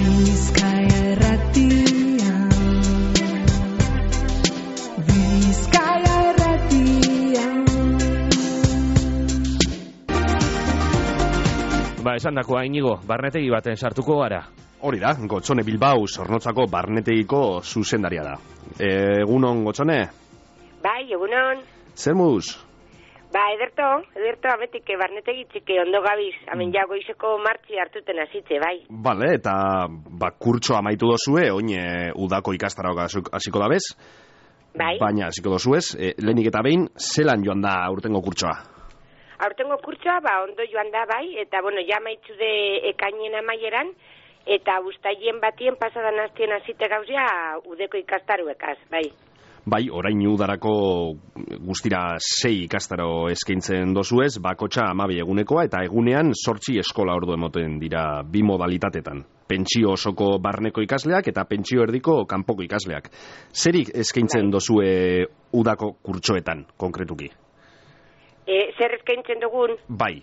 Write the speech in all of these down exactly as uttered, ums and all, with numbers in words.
Bizkaia Irratia, Bizkaia Irratia. Ba, esan dakoa, Inigo, barnetegi baten sartuko gara. Hori da, Gotzone Bilbao Zornotzako barnetegiko zuzendaria da. Egunon, Gotzone? Bai, egunon. Zer moduz? Ba, ederto, ederto, ametik, barnetegi txike ondo gabiz, amen ja goizeko martxi hartuten hasitze, bai. Bale, eta ba, kurtso amaitu dozue, oin e, udako ikastarok hasiko da bez? Bai. Baina hasiko dozuez, e, lehenik eta behin, zelan joan da aurtengo kurtsoa? Aurtengo kurtsoa, ba, ondo joan da, bai, eta, bueno, ja maitzu de ekainen amaieran, eta ustaien batien pasadan hastien hasite gauzia udeko ikastaruekaz, bai. Bai, orain udarako guztira sei ikastaro eskaintzen dozuez, bakotxa amabi egunekoa, eta egunean sortzi eskola ordu emoten dira bi modalitatetan. Pentsio osoko barneko ikasleak eta pentsio erdiko kanpoko ikasleak. Zerik eskaintzen bai. Dozue udako kurtsoetan, konkretuki? E, zer eskaintzen dugun? Bai.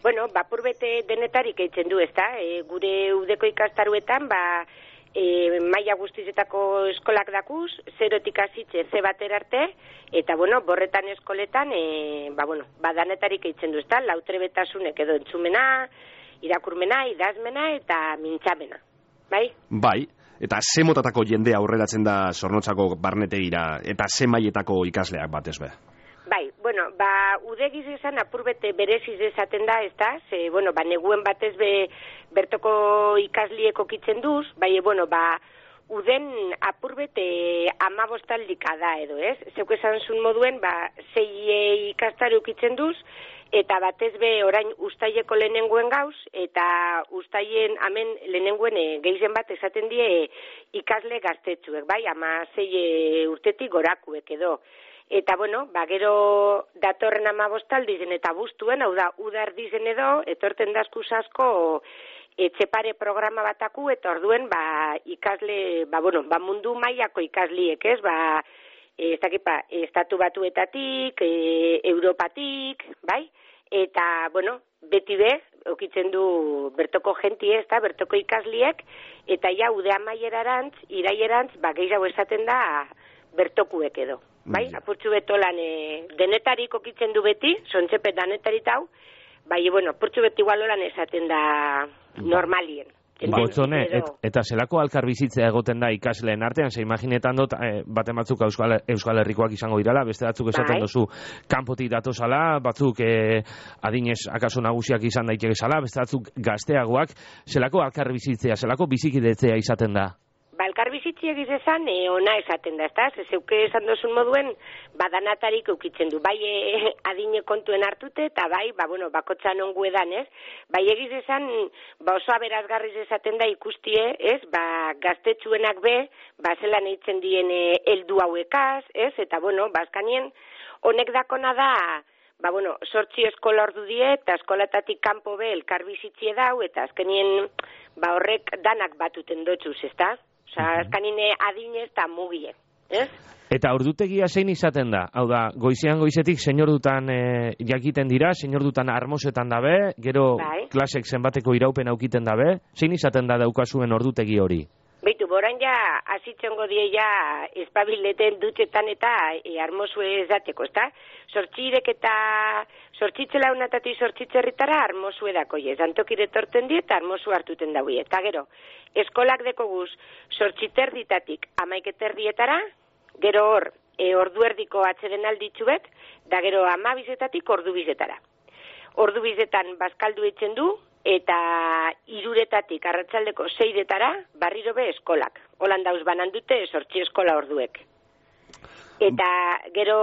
Bueno, bapur bete denetarik eitzen du, ezta? E, gure udeko ikastaruetan, ba, e, maila guztizetako eskolak dakuz, zerotik hasitze ze batera arte, eta, bueno, borretan eskoletan, e, ba, bueno, badanetarik eitzen du, ezta? Lautrebetasunek edo entzumena, irakurmena, idazmena eta mintzamena, bai? Bai, eta ze motatako jende aurreratzen da Zornotzako barnetegira, eta ze mailetako ikasleak batez be? Bai, bueno, ba, udegiz esan apurbete bereziz esaten da, ez da, ze, bueno, ba, neguen batez be bertoko ikaslieko kitzen duz, bai, bueno, ba, uden apurbete amabostaldika da edo, ez? Zeuk esan zun moduen, ba, zei ikastaru kitzen duz, eta batez be orain ustaileko lehenenguen gauz, eta ustaien amen lehenenguen e, geizen bat esaten die ikasle gaztetsuek, bai, ama zei urtetik gorakuek edo. Eta, bueno, ba, gero datorren amabostaldizen eta bustuen, hau da, udar dizen edo, etorten dazkuz asko etxepare programa bataku, eta orduen, ba, ikasle, ba, bueno, ba, mundu mailako ikasliek, ez, ba, ez dakit, ba, estatu batuetatik, e, Europatik, bai, eta, bueno, beti be, okitzen du bertoko jentie, ez da, bertoko ikasliek, eta ja, ude amaierarantz, iraierantz, ba, gehiago esaten da, bertokuek edo. Bai, apurtxu betolan e, denetarik okitzen du beti, sontxepe danetarit hau, bai, bueno, apurtxu beti igualolan esaten da normalien. Gotzone, et, eta zelako alkarbizitzea egoten da ikasleen artean, ze imaginetan dut, eh, baten batzuk Euskal, Euskal Herrikoak izango dirala, beste batzuk esaten bai. dozu kanpotik datozala, batzuk eh, adinez akaso nagusiak izan daiteke zala, beste batzuk gazteagoak, zelako alkarbizitzea, zelako bizikidetzea izaten da? Balkar bizitzi egiz esan, e, ona esaten da, ez da? Zeuke esan dozun moduen, badanatarik eukitzen du. Bai, e, adine kontuen hartute, eta bai, ba, bueno, bakotxan ongu edan, ez? Bai, egiz esan, ba, oso aberazgarriz esaten da ikustie, ez? Ba, gaztetsuenak be, ba, zelan eitzen dien e, eldu hauekaz, ez? Eta, bueno, bazkanien, honek dakona da, ba, bueno, sortzi eskola ordu die, eta eskolatatik kanpo be, elkar bizitzie dau, eta azkenien, ba, horrek danak batuten dotxuz, ez da? Osa, azkanine adinez eta mugie, ez? Eta ordutegia zein izaten da? Hau da, goizean goizetik señordutan e, jakiten dira, señordutan armosetan dabe, gero bai. Klasek zenbateko iraupen aukiten dabe, zein izaten da daukazuen ordutegi hori? Beitu, boran ja, azitzongo die ja, espabileten dutxetan eta e, armosue ezateko, ez da? Sortxirek eta sortxitzela unatati sortxitzerritara armosue dako, ez, antokire torten die eta armosu hartuten daue. Eta gero, eskolak deko guz sortxiterditatik amaiketerdietara, gero hor, e, ordu erdiko atzeden alditxuet, da gero amabizetatik ordu bizetara. Ordu bizetan bazkaldu eitzen du, eta iruretatik arratsaldeko seidetara barriro be eskolak. Holan dauz banan dute sortzi eskola orduek. Eta gero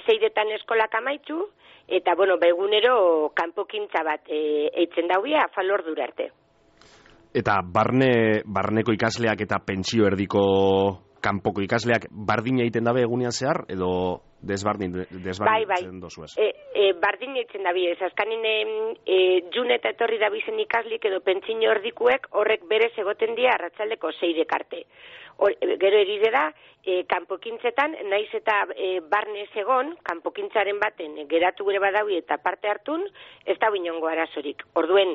seidetan eskolak amaitzu, eta, bueno, begunero kanpokintza bat e, eitzen dauia afal ordura arte. Eta barne, barneko ikasleak eta pentsio erdiko kanpoko ikasleak bardina egiten dabe egunean zehar, edo desbardin, desbardin bai, bai. dozuez? E, e, bardin egiten dabe, ez azkanin e, jun eta etorri dabizen ikaslik edo pentsio erdikuek horrek berez egoten dira arratsaldeko seidek arte. Or, gero erize da, e, kanpokintzetan, naiz eta e, barne egon, kanpokintzaren baten geratu gure badaui eta parte hartun, ez da binongo arazorik. Orduen,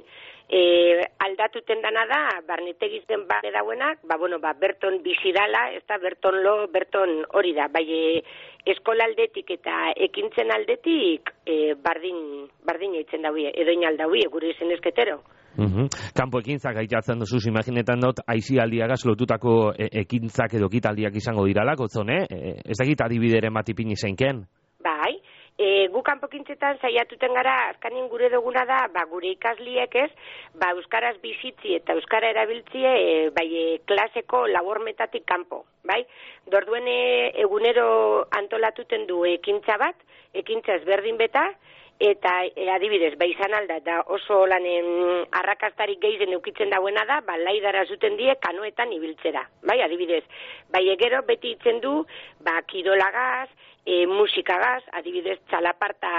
E, aldatuten dana da, barnetegizten bade dauenak, ba, bueno, ba, berton bizidala, ez da, berton lo, berton hori da, bai, e, eskola aldetik eta ekintzen aldetik e, bardin, bardin eitzen daue, edo inaldaue, gure izen esketero. Uhum. Kanpo ekintzak aitatzen duzuz, imaginetan dut, aizialdiagaz lotutako e ekintzak edo ekitaldiak izango dirala, gotzone, e, ez dakit adibideren bat ipini zeinken? Bai, e, gu kanpokintzetan saiatuten gara, azkanin gure duguna da, ba, gure ikasliek ez, ba, euskaraz bizitzi eta euskara erabiltzie, e, bai, e, klaseko labormetatik kanpo, bai? Dorduen e, egunero antolatuten du ekintza bat, ekintza ezberdin beta, eta e, adibidez, ba, izan alda, da oso lanen arrakastarik gehien eukitzen dauena da, ba, laidara zuten die kanoetan ibiltzera, bai, adibidez, bai, egero beti itzen du, ba, kirolagaz, e, musikagaz, adibidez, txalaparta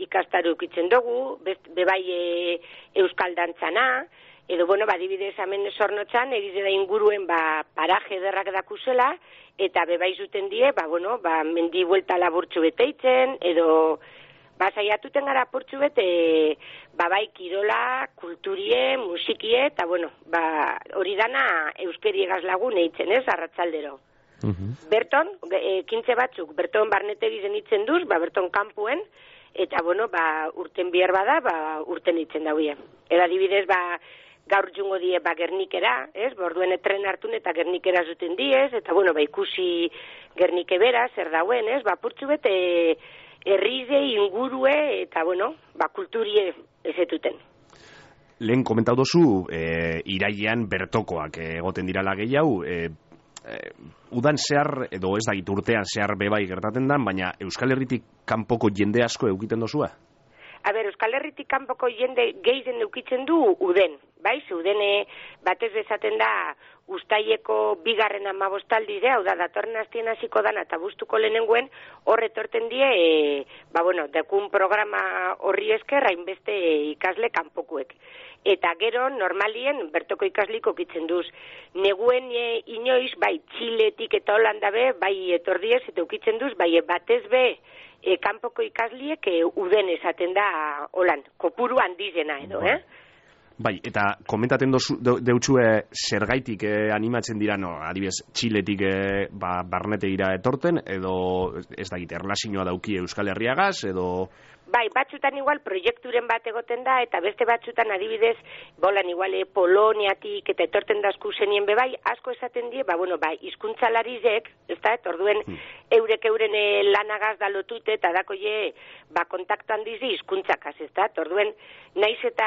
ikastaru eukitzen dugu, bebai e, euskal dantzana, edo, bueno, ba, adibidez, hemen Zornotzan, egize da inguruen, ba, paraje ederrak dakusela, eta bebai zuten die, ba, bueno, ba, mendi buelta laburtxu beteitzen, edo, ba, saiatuten gara portxu bete, ba, bai, kirola, kulturie, musikie, eta, bueno, ba, hori dana euskeriegaz lagun eitzen, ez, arratzaldero. Uh-huh. Berton, e, kintze batzuk, berton barnetegi zenitzen duz, ba, berton kanpuen, eta, bueno, ba, urten bihar bada, ba, urten eitzen dauie. Eda dibidez, ba, gaur jungo die, ba, Gernikera, ez, borduen tren hartun eta Gernikera zuten diez, eta, bueno, ba, ikusi Gernike bera, zer dauen, ez, ba, portxu bete, herrize, ingurue, eta, bueno, ba, kulturie ezetuten. Lehen komentau dozu, e, irailean bertokoak egoten dirala gehiago, e, e, udan zehar, edo ez da urtean zehar bebai gertaten dan, baina Euskal Herritik kanpoko jende asko eukiten dozua? A ber, Euskal Herritik kanpoko jende gehien eukitzen du uden, bai? Udene batez bezaten da Uztaileko bigarren amabostaldi de, hau da, datorren hastien hasiko dana eta bustuko lehenenguen, horre torten die, e, ba, bueno, dekun programa horri esker, hainbeste ikasle kanpokuek. Eta gero, normalien, bertoko ikasliko kitzen duz. Neguen e, inoiz, bai, Txiletik eta Holanda be, bai, etordiez, eta ukitzen duz, bai, batez be, e, kanpoko ikasliek e, uden esaten da, holan, kopuru handizena edo, eh? Bai, eta komentaten deutxue zergaitik eh, animatzen dira, no, adibidez, Txiletik eh, ba, barnetegira etorten, edo ez da gite, erlazioa dauki Euskal Herriagaz, edo... Bai, batzutan igual proiekturen bat egoten da, eta beste batzutan adibidez, bolan igual eh, Poloniatik eta etorten dazku zenien bebai, asko esaten die, ba, bueno, bai, hizkuntzalarizek, ez da, orduen hmm. eurek euren eh, lanagaz da lotute, eta dako je, ba, kontaktuan dizi hizkuntzakaz, ez da, orduen, naiz eta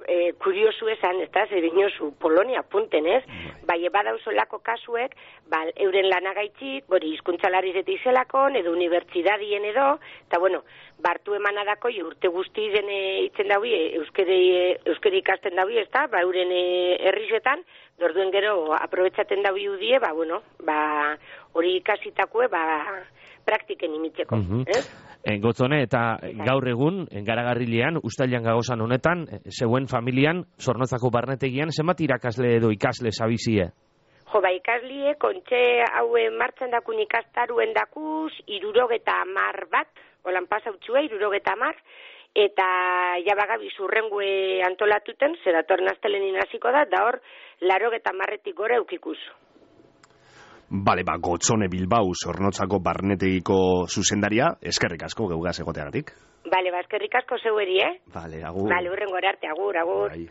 e, kuriosu esan, ez da, zer inozu, Polonia punten, ez? Bai, badauzo lako kasuek, ba, euren lanagaitzik, bori, hizkuntzalarizet izelakon, edo unibertsidadien edo, eta, bueno, bartu emanadako, urte guzti zen itzen daui, euskeri, euskeri ikasten daui, ez da, ba, euren herrizetan, dorduen gero, aprobetsaten daui udie, ba, bueno, ba, hori ikasitakue, ba, praktiken imitzeko, uh-huh. ez? E, gotzone, eta gaur egun, Garagarrilean, Uztailean gagozan honetan, zeuen familian, Zornotzako barnetegian, zenbat irakasle edo ikasle zabizie? Jo, ba, ikaslie, kontxe haue martxan dakun ikastaruen dakuz, irurogeta amar bat, holan pasautxue, irurogeta amar, eta jabagabi zurrengue antolatuten, zeratorren astelenin hasiko da, da hor, larogeta amarretik gora eukikuz. Bale, ba, Gotzone Bilbao, Zornotzako barnetegiko zuzendaria, eskerrik asko geugaz egoteagatik. Bale, ba, eskerrik asko zeueri, eh? Bale, agur. Bale, hurren gora arte, agur, agur. Bai.